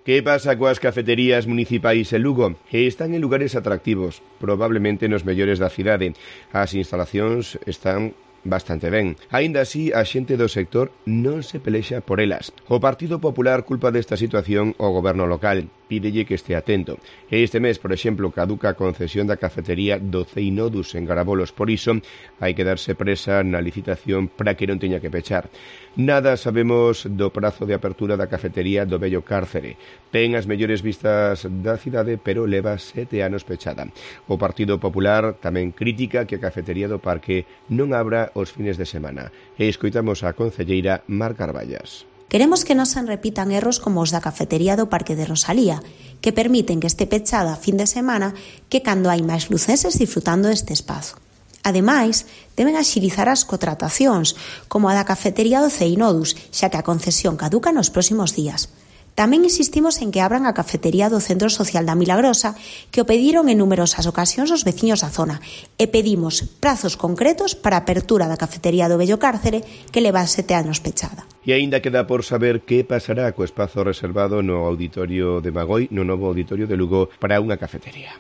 Que pasa coas cafeterías municipais en Lugo? Están en lugares atractivos, probablemente nos mellores da cidade. As instalacións están bastante ben. Aínda así, a xente do sector non se pelexa por elas. O Partido Popular culpa desta situación ao goberno local. Pídelle que este atento. Este mes, por exemplo, caduca a concesión da cafetería do Ceinodus en Garabolos. Por iso, hai que darse presa na licitación para que non teña que pechar. Nada sabemos do prazo de apertura da cafetería do Vello Cárcere. Ten as mellores vistas da cidade, pero leva 7 anos pechada. O Partido Popular tamén critica que a cafetería do Parque non abra os fines de semana. E escoitamos a concelleira Mar Carballas. Queremos que non se repitan erros como os da cafetería do Parque de Rosalía, que permiten que este pechada a fin de semana que cando hai máis lucenses disfrutando deste espazo. Ademais, deben axilizar as contratacións, como a da cafetería do Ceinodus, xa que a concesión caduca nos próximos días. Tamén insistimos en que abran a cafetería do Centro Social da Milagrosa, que o pediron en numerosas ocasións os veciños da zona, e pedimos prazos concretos para a apertura da cafetería do Vello Cárcere, que leva 7 anos pechada. E aínda queda por saber que pasará co espazo reservado no auditorio de Magoi, no novo auditorio de Lugo, para unha cafetería.